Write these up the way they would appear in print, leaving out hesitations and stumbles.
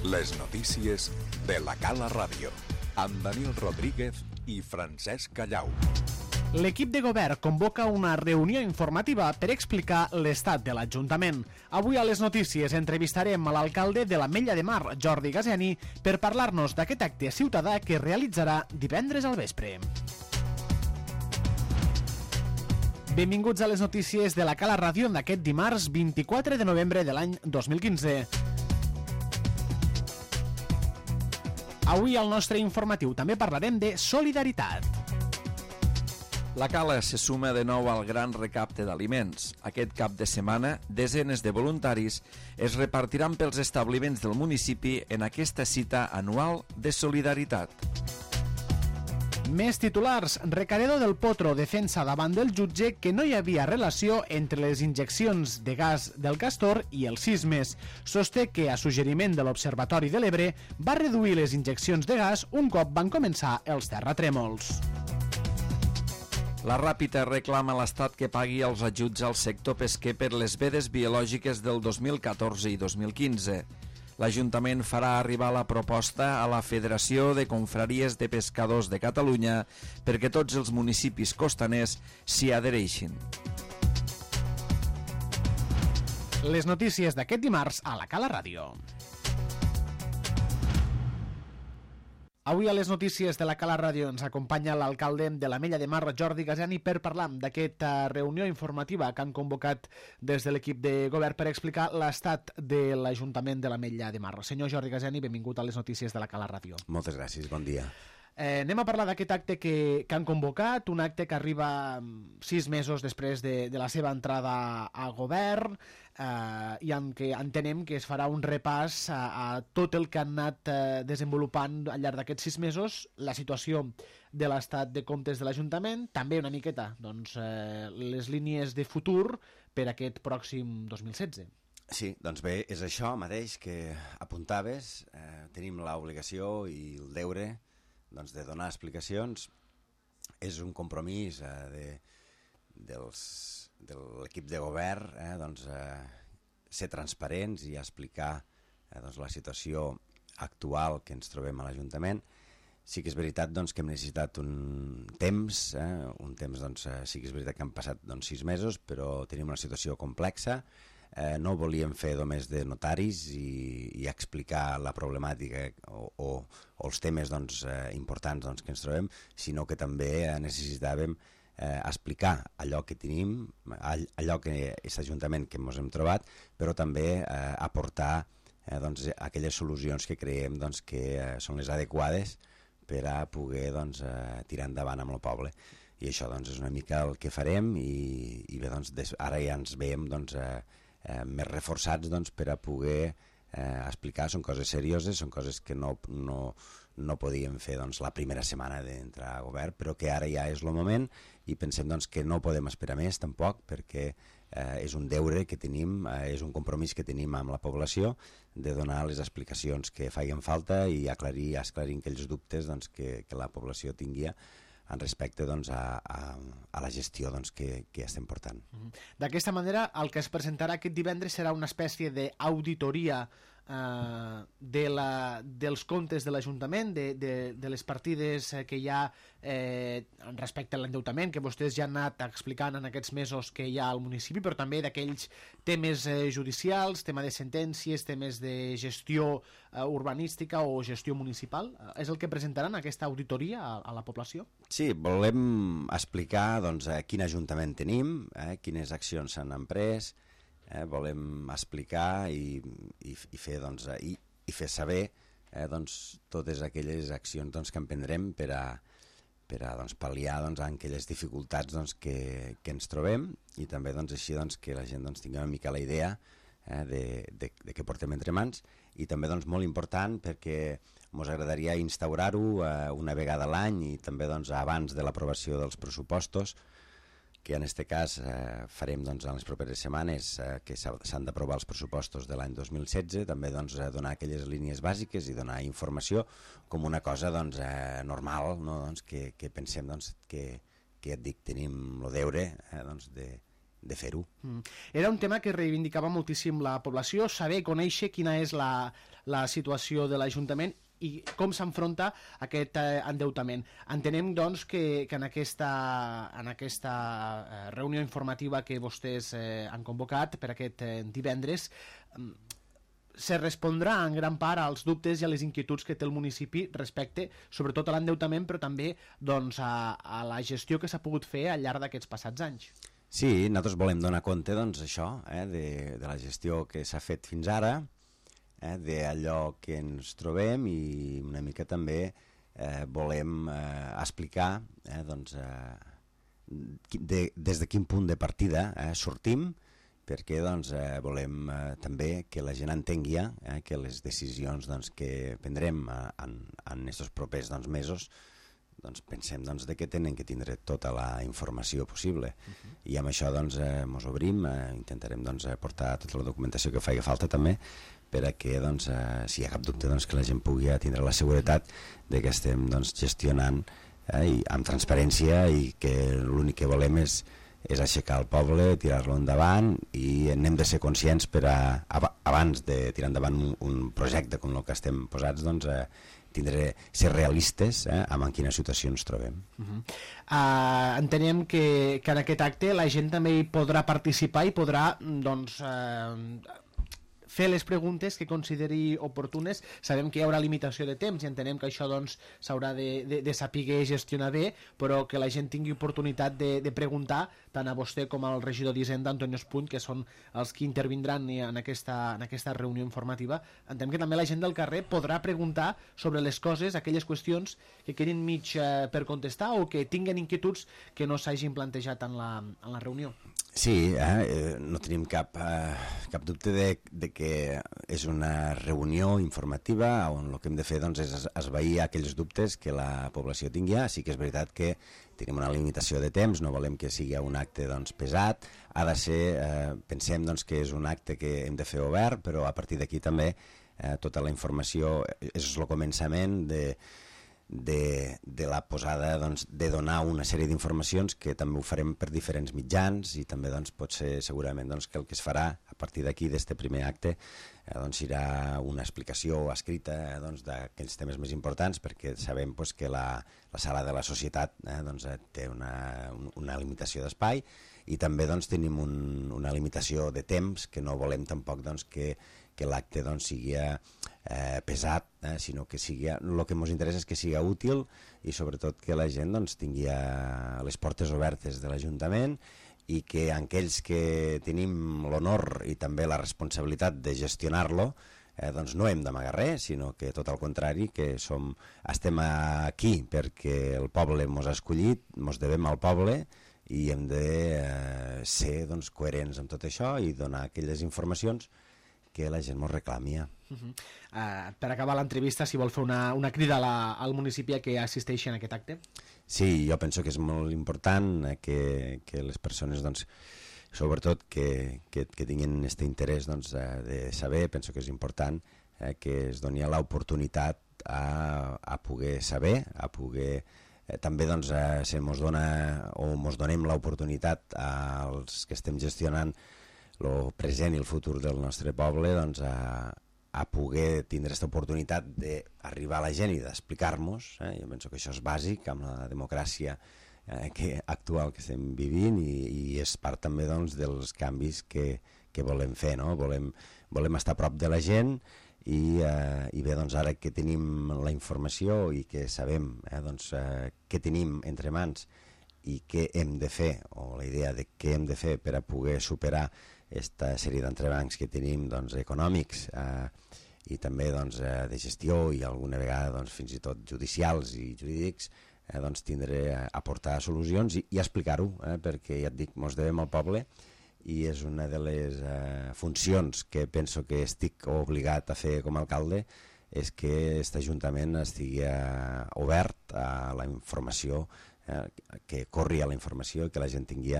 Les notícies de la Cala Ràdio, amb Daniel Rodríguez i Francesc Callau. L'equip de govern convoca una reunió informativa per explicar l'estat de l'Ajuntament. Avui a les notícies entrevistarem a l'alcalde de l'Ametlla de Mar, Jordi Gasiani, per parlar-nos d'aquest acte ciutadà que realitzarà divendres al vespre. Benvinguts a les notícies de la Cala Ràdio d'aquest dimarts 24 de novembre de l'any 2015. Avui al nostre informatiu també parlarem de solidaritat. La Cala se suma de nou al gran recapte d'aliments. Aquest cap de setmana, desenes de voluntaris es repartiran pels establiments del municipi en aquesta cita anual de solidaritat. Més titulars. Recaredo del Potro defensa davant del jutge que no hi havia relació entre les injeccions de gas del Castor i els sismes. Sosté que, a suggeriment de l'Observatori de l'Ebre, va reduir les injeccions de gas un cop van començar els terratrèmols. La Ràpita reclama a l'Estat que pagui els ajuts al sector pesquer per les vedes biològiques del 2014 i 2015. L'Ajuntament farà arribar la proposta a la Federació de Confraries de Pescadors de Catalunya perquè tots els municipis costaners s'hi adhereixin. Les notícies d'aquest dimarts a la Cala Ràdio. Avui a les notícies de la Cala Ràdio ens acompanya l'alcalde de l'Ametlla de Mar, Jordi Gasiani, per parlar d'aquesta reunió informativa que han convocat des de l'equip de govern per explicar l'estat de l'Ajuntament de l'Ametlla de Mar. Senyor Jordi Gasiani, benvingut a les notícies de la Cala Ràdio. Moltes gràcies, bon dia. Anem a parlar d'aquest acte que han convocat, un acte que arriba 6 mesos després de la seva entrada a govern i en què entenem que es farà un repàs a tot el que han anat desenvolupant al llarg d'aquests 6 mesos, la situació de l'estat de comptes de l'Ajuntament, també una miqueta les línies de futur per a aquest pròxim 2016. Sí, doncs bé, és això mateix que apuntaves, tenim l'obligació i el deure de donar explicacions. És un compromís de l'equip de govern ser transparents i explicar la situació actual que ens trobem a l'Ajuntament. Sí que és veritat que hem necessitat un temps, sí que és veritat que han passat 6 mesos, però tenim una situació complexa. No ho volíem fer només de notaris i explicar la problemàtica o els temes importants que ens trobem, sinó que també necessitàvem explicar allò que tenim, allò que és l'Ajuntament que ens hem trobat, però també aportar aquelles solucions que creiem que són les adequades per a poder tirar endavant amb el poble. I això és una mica el que farem i bé, ara ja ens veiem més reforçats per a poder explicar. Són coses serioses, són coses que no podíem fer la primera setmana d'entrar a govern, però que ara ja és el moment i pensem que no podem esperar més tampoc, perquè és un deure que tenim, és un compromís que tenim amb la població de donar les explicacions que feien falta i aclarir aquells dubtes que la població tinguia en respecte a la gestió que estem portant. D'aquesta manera, el que es presentarà aquest divendres serà una espècie d'auditoria dels comptes de l'Ajuntament, de les partides que hi ha respecte a l'endeutament, que vostès ja han anat explicant en aquests mesos que hi ha al municipi, però també d'aquells temes judicials, tema de sentències, temes de gestió urbanística o gestió municipal. És el que presentaran aquesta auditoria a la població? Sí, volem explicar quin Ajuntament tenim, quines accions s'han emprès, volem explicar i fer saber totes aquelles accions que emprendrem per a pal·liar aquelles dificultats que ens trobem i també així que la gent tingui una mica la idea de què portem entre mans. I també molt important perquè ens agradaria instaurar-ho una vegada a l'any i també abans de l'aprovació dels pressupostos, que en aquest cas farem en les properes setmanes, que s'han d'aprovar els pressupostos de l'any 2016, també donar aquelles línies bàsiques i donar informació com una cosa normal, no? Que pensem que et dic, tenim el deure fer-ho. Era un tema que reivindicava moltíssim la població, saber, conèixer quina és la situació de l'Ajuntament i com s'enfronta aquest endeutament. Entenem, doncs, que en aquesta reunió informativa que vostès han convocat per aquest divendres se respondrà en gran part als dubtes i a les inquietuds que té el municipi respecte, sobretot a l'endeutament, però també doncs, a la gestió que s'ha pogut fer al llarg d'aquests passats anys. Sí, nosaltres volem donar compte, doncs, això, de la gestió que s'ha fet fins ara, d'allò que ens trobem i una mica també volem explicar doncs, des de quin punt de partida sortim, perquè doncs, volem també que la gent entengui que les decisions doncs, que prendrem en aquests propers mesos doncs, pensem doncs, que tenen que tindre tota la informació possible. I amb això doncs, ens obrim, intentarem doncs, portar tota la documentació que faci falta també, perquè doncs, si hi ha cap dubte doncs, que la gent pugui tindre la seguretat de que estem doncs, gestionant i amb transparència i que l'únic que volem és aixecar el poble, tirar-lo endavant i n'hem de ser conscients per abans de tirar endavant un projecte com el que estem posats, doncs, ser realistes amb en quina situació ens trobem. Entenem que en aquest acte la gent també hi podrà participar i podrà doncs, fer les preguntes que consideri oportunes. Sabem que hi haurà limitació de temps i entenem que això doncs, s'haurà de saber gestionar bé, però que la gent tingui oportunitat de preguntar tant a vostè com al regidor d'Hisenda, Antonio Espuny, que són els que intervindran en aquesta reunió informativa. Entenem que també la gent del carrer podrà preguntar sobre les coses, aquelles qüestions que quedin mig per contestar o que tinguen inquietuds que no s'hagin plantejat en la reunió. Sí, no tenim cap dubte de que és una reunió informativa on el que hem de fer doncs, és esvair aquells dubtes que la població tingui. Sí que és veritat que tenim una limitació de temps, no volem que sigui un acte doncs, pesat, ha de ser, pensem doncs, que és un acte que hem de fer obert, però a partir d'aquí també tota la informació és el començament de la posada doncs, de donar una sèrie d'informacions que també ho farem per diferents mitjans i també doncs, pot ser segurament doncs, que el que es farà a partir d'aquí d'aquest primer acte doncs, serà una explicació escrita doncs, d'aquells temes més importants perquè sabem doncs, que la sala de la societat doncs, té una limitació d'espai i també doncs, tenim una limitació de temps que no volem tampoc doncs, que l'acte doncs, sigui pesat, sinó que sigui, el que ens interessa és que sigui útil i sobretot que la gent doncs, tingui les portes obertes de l'Ajuntament i que aquells que tenim l'honor i també la responsabilitat de gestionar-lo doncs no hem d'amagar res, sinó que tot al contrari, que estem aquí perquè el poble ens ha escollit, ens devem al poble i hem de ser doncs, coherents amb tot això i donar aquelles informacions que la gent ens reclami. Per acabar l'entrevista, si vol fer una crida al municipi que assisteixi en aquest acte. Sí, jo penso que és molt important que les persones, doncs, sobretot que tinguin aquest interès doncs, de saber, penso que és important que es doni l'oportunitat a poder saber, a poder també doncs, si ens dona o ens donem l'oportunitat als que estem gestionant el present i el futur del nostre poble doncs, a poder tindre aquesta oportunitat d'arribar a la gent i d'explicar-nos. Jo penso que això és bàsic amb la democràcia actual que estem vivint i és part també doncs, dels canvis que volem fer. No? Volem estar a prop de la gent i bé, doncs, ara que tenim la informació i que sabem doncs, què tenim entre mans i què hem de fer, o la idea de què hem de fer per a poder superar aquesta sèrie d'entrebancs que tenim doncs, econòmics i també doncs, de gestió i alguna vegada doncs, fins i tot judicials i jurídics, doncs, aportar solucions i explicar-ho, perquè ja et dic, ens devem al poble i és una de les funcions que penso que estic obligat a fer com a alcalde, és que aquest Ajuntament estigui obert a la informació, que corri a la informació i que la gent tingui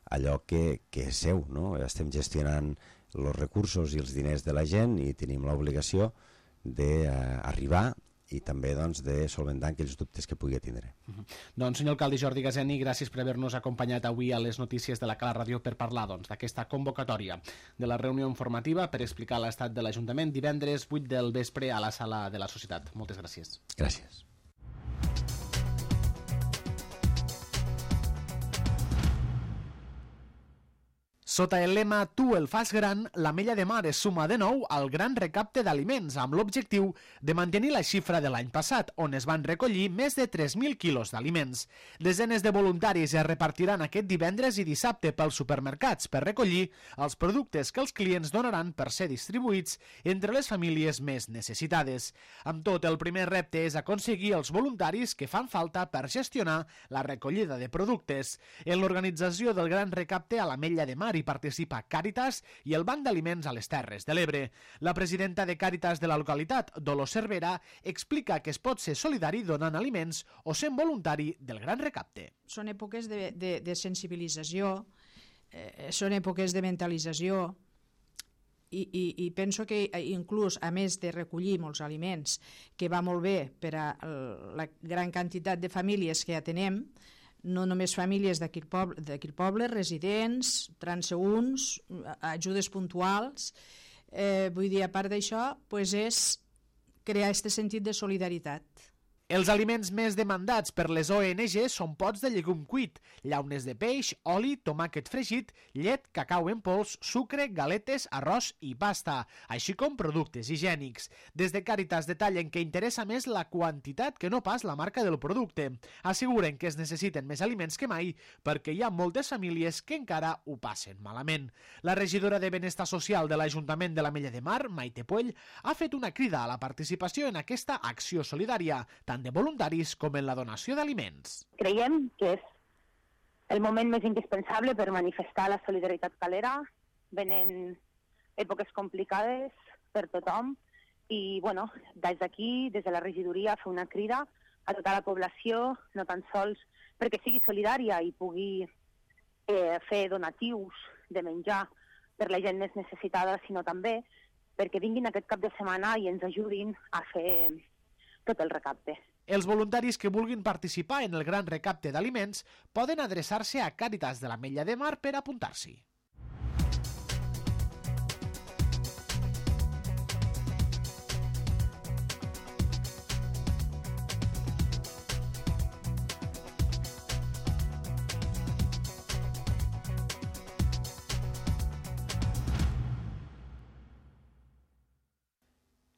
allò que és seu. No? Estem gestionant els recursos i els diners de la gent i tenim l'obligació d'arribar i també doncs, de solventar aquells dubtes que pugui tindre. Doncs, senyor alcalde Jordi Gaseni, gràcies per haver-nos acompanyat avui a les notícies de la Cala Ràdio per parlar d'aquesta convocatòria de la reunió informativa per explicar l'estat de l'Ajuntament divendres 8 del vespre a la Sala de la Societat. Moltes gràcies. Gràcies. Sota el lema Tu el fas gran, l'Ametlla de Mar es suma de nou al gran recapte d'aliments amb l'objectiu de mantenir la xifra de l'any passat, on es van recollir més de 3.000 quilos d'aliments. Desenes de voluntaris es repartiran aquest divendres i dissabte pels supermercats per recollir els productes que els clients donaran per ser distribuïts entre les famílies més necessitades. Amb tot, el primer repte és aconseguir els voluntaris que fan falta per gestionar la recollida de productes. En l'organització del gran recapte a l'Ametlla de Mar hi participa Càritas i el Banc d'Aliments a les Terres de l'Ebre. La presidenta de Càritas de la localitat, Dolors Cervera, explica que es pot ser solidari donant aliments o sent voluntari del gran recapte. Són èpoques de sensibilització, són èpoques de mentalització i penso que inclús, a més de recollir molts aliments, que va molt bé per a la gran quantitat de famílies que atenem, no només famílies d'aquí el poble, residents, transeünts, ajudes puntuals. Vull dir, a part d'això, és crear aquest sentit de solidaritat. Els aliments més demandats per les ONG són pots de llegum cuit, llaunes de peix, oli, tomàquet fregit, llet, cacau en pols, sucre, galetes, arròs i pasta, així com productes higiènics. Des de Càritas detallen que interessa més la quantitat que no pas la marca del producte. Asseguren que es necessiten més aliments que mai perquè hi ha moltes famílies que encara ho passen malament. La regidora de Benestar Social de l'Ajuntament de l'Ametlla de Mar, Maite Puell, ha fet una crida a la participació en aquesta acció solidària, tant de voluntaris com en la donació d'aliments. Creiem que és el moment més indispensable per manifestar la solidaritat calera. Venen èpoques complicades per tothom i, des d'aquí, des de la regidoria, fer una crida a tota la població, no tan sols perquè sigui solidària i pugui fer donatius de menjar per la gent més necessitada, sinó també perquè vinguin aquest cap de setmana i ens ajudin a fer tot el recapte. Els voluntaris que vulguin participar en el gran recapte d'aliments poden adreçar-se a Càritas de l'Ametlla de Mar per apuntar-s'hi.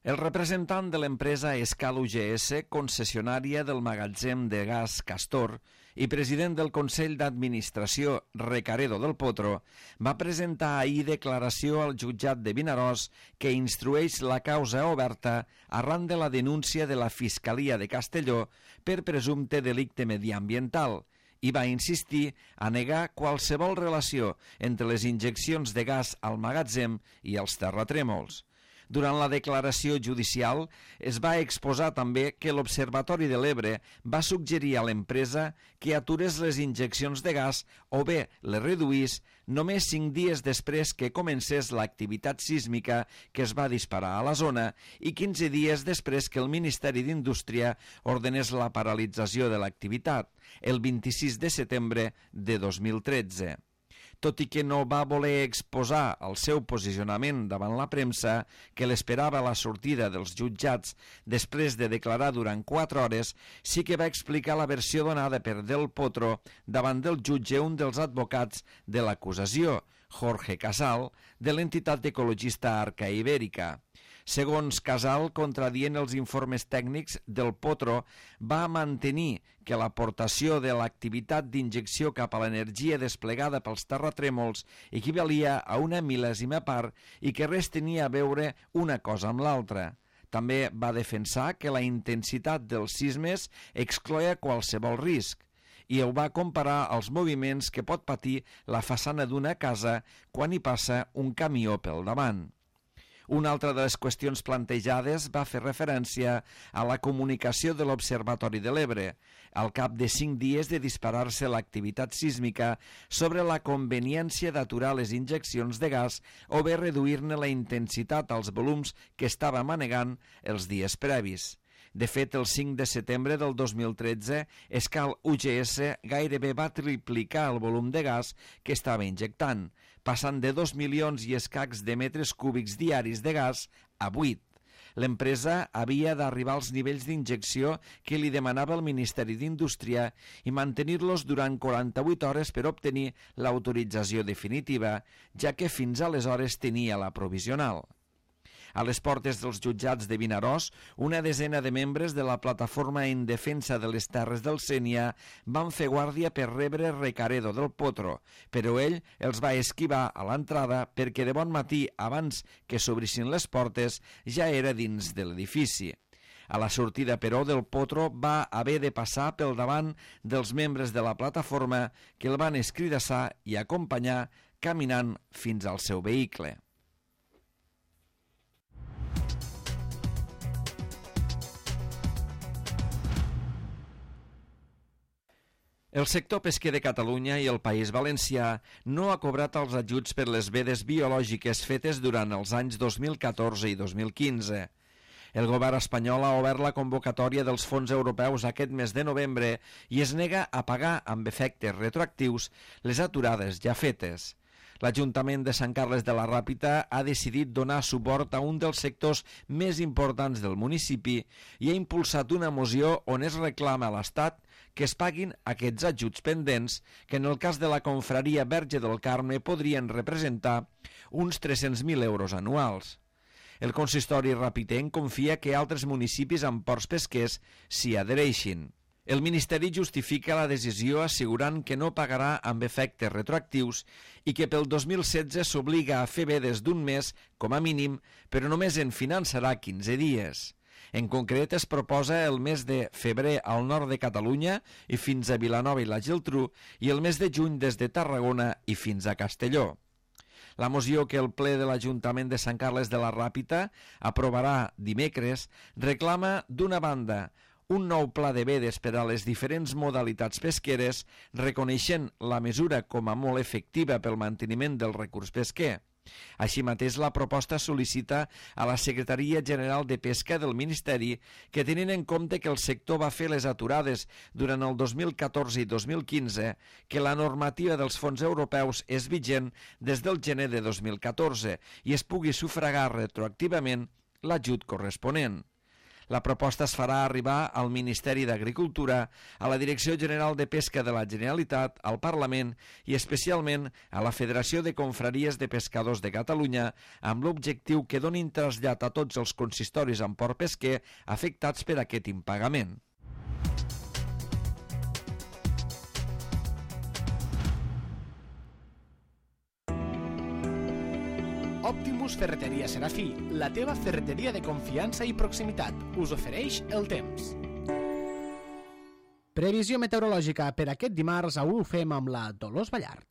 El representant de l'empresa Escal UGS, concessionària del magatzem de gas Castor i president del Consell d'Administració Recaredo del Potro, va presentar ahir declaració al jutjat de Vinaròs que instrueix la causa oberta arran de la denúncia de la Fiscalia de Castelló per presumpte delicte mediambiental i va insistir a negar qualsevol relació entre les injeccions de gas al magatzem i els terratrèmols. Durant la declaració judicial es va exposar també que l'Observatori de l'Ebre va suggerir a l'empresa que aturés les injeccions de gas o bé les reduís només 5 dies després que comencés l'activitat sísmica que es va disparar a la zona i 15 dies després que el Ministeri d'Indústria ordenés la paralització de l'activitat, el 26 de setembre de 2013. Tot i que no va voler exposar el seu posicionament davant la premsa, que l'esperava a la sortida dels jutjats després de declarar durant 4 hores, sí que va explicar la versió donada per Del Potro davant del jutge un dels advocats de l'acusació, Jorge Casal, de l'entitat ecologista Arca Ibèrica. Segons Casal, contradient els informes tècnics, Del Potro va mantenir que l'aportació de l'activitat d'injecció cap a l'energia desplegada pels terratrèmols equivalia a una mil·lèsima part i que res tenia a veure una cosa amb l'altra. També va defensar que la intensitat dels sismes excloia qualsevol risc i ho va comparar als moviments que pot patir la façana d'una casa quan hi passa un camió pel davant. Una altra de les qüestions plantejades va fer referència a la comunicació de l'Observatori de l'Ebre, al cap de 5 dies de disparar-se l'activitat sísmica, sobre la conveniència d'aturar les injeccions de gas o bé reduir-ne la intensitat als volums que estava manegant els dies previs. De fet, el 5 de setembre del 2013, Escal UGS gairebé va triplicar el volum de gas que estava injectant, passant de 2 milions i escacs de metres cúbics diaris de gas a 8. L'empresa havia d'arribar als nivells d'injecció que li demanava el Ministeri d'Indústria i mantenir-los durant 48 hores per obtenir l'autorització definitiva, ja que fins aleshores tenia la provisional. A les portes dels jutjats de Vinaròs, una desena de membres de la Plataforma en Defensa de les Terres del Sénia van fer guàrdia per rebre Recaredo del Potro, però ell els va esquivar a l'entrada perquè de bon matí, abans que s'obrissin les portes, ja era dins de l'edifici. A la sortida, però, del Potro va haver de passar pel davant dels membres de la plataforma que el van escridassar i acompanyar caminant fins al seu vehicle. El sector pesquer de Catalunya i el País Valencià no ha cobrat els ajuts per les vedes biològiques fetes durant els anys 2014 i 2015. El govern espanyol ha obert la convocatòria dels fons europeus aquest mes de novembre i es nega a pagar amb efectes retroactius les aturades ja fetes. L'Ajuntament de Sant Carles de la Ràpita ha decidit donar suport a un dels sectors més importants del municipi i ha impulsat una moció on es reclama a l'Estat que es paguin aquests ajuts pendents que en el cas de la confraria Verge del Carme podrien representar uns 300.000 euros anuals. El consistori rapitenc confia que altres municipis amb ports pesquers s'hi adhereixin. El Ministeri justifica la decisió assegurant que no pagarà amb efectes retroactius i que pel 2016 s'obliga a fer vedes d'un mes, com a mínim, però només en finançarà 15 dies. En concret, es proposa el mes de febrer al nord de Catalunya i fins a Vilanova i la Geltrú i el mes de juny des de Tarragona i fins a Castelló. La moció que el ple de l'Ajuntament de Sant Carles de la Ràpita aprovarà dimecres reclama, d'una banda, un nou pla de vedes per a les diferents modalitats pesqueres, reconeixent la mesura com a molt efectiva pel manteniment del recurs pesquer. Així mateix, la proposta sol·licita a la Secretaria General de Pesca del Ministeri que, tenint en compte que el sector va fer les aturades durant el 2014 i 2015, que la normativa dels fons europeus és vigent des del gener de 2014 i es pugui sufragar retroactivament l'ajut corresponent. La proposta es farà arribar al Ministeri d'Agricultura, a la Direcció General de Pesca de la Generalitat, al Parlament i especialment a la Federació de Confraries de Pescadors de Catalunya, amb l'objectiu que donin trasllat a tots els consistoris amb port pesquer afectats per aquest impagament. Optimus Ferreteria Serafí, la teva ferreteria de confiança i proximitat, us ofereix el temps. Previsió meteorològica per aquest dimarts ho fem amb la Dolors Ballart.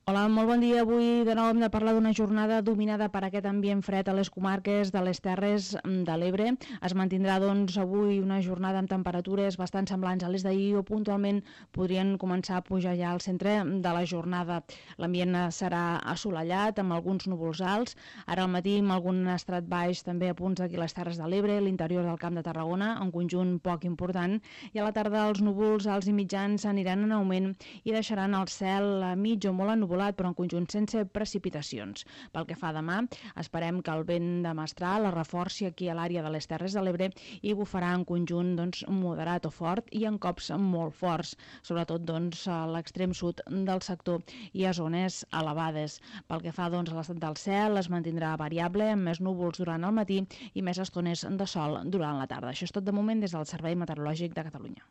Hola, molt bon dia. Avui de nou hem de parlar d'una jornada dominada per aquest ambient fred a les comarques de les Terres de l'Ebre. Es mantindrà, doncs, avui una jornada amb temperatures bastant semblants a les d'ahir o puntualment podrien començar a pujar ja al centre de la jornada. L'ambient serà assolellat amb alguns núvols alts. Ara al matí amb algun estrat baix també a punts d'aquí les Terres de l'Ebre, l'interior del Camp de Tarragona, en conjunt poc important. I a la tarda els núvols alts i mitjans aniran en augment i deixaran el cel mig o molt ennuvolat, però en conjunt sense precipitacions. Pel que fa a demà, esperem que el vent de mestral es reforci aquí a l'àrea de les Terres de l'Ebre i bufarà en conjunt moderat o fort i en cops molt forts, sobretot a l'extrem sud del sector i a zones elevades. Pel que fa a l'estat del cel, es mantindrà variable, amb més núvols durant el matí i més estones de sol durant la tarda. Això és tot de moment des del Servei Meteorològic de Catalunya.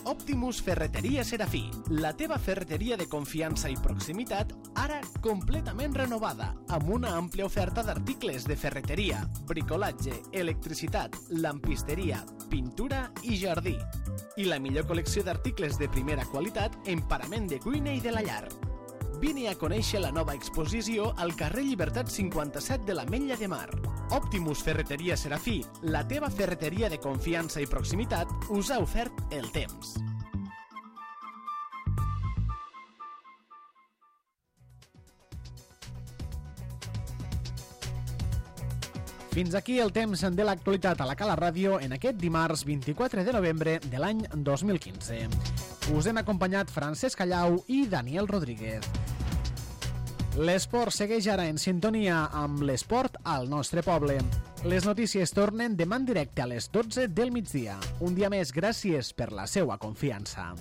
Optimus Ferreteria Serafí, la teva ferreteria de confiança i proximitat, ara completament renovada, amb una àmplia oferta d'articles de ferreteria, bricolatge, electricitat, lampisteria, pintura i jardí. I la millor col·lecció d'articles de primera qualitat en parament de cuina i de la llar. Vine a conèixer la nova exposició al carrer Llibertat 57 de l'Ametlla de Mar. Optimus Ferreteria Serafí, la teva ferreteria de confiança i proximitat, us ha ofert el temps. Fins aquí el temps de l'actualitat a la Cala Ràdio en aquest dimarts 24 de novembre de l'any 2015. Us hem acompanyat Francesc Callau i Daniel Rodríguez. L'esport segueix ara en sintonia amb l'esport al nostre poble. Les notícies tornen demà en directe a les 12 del migdia. Un dia més, gràcies per la seua confiança.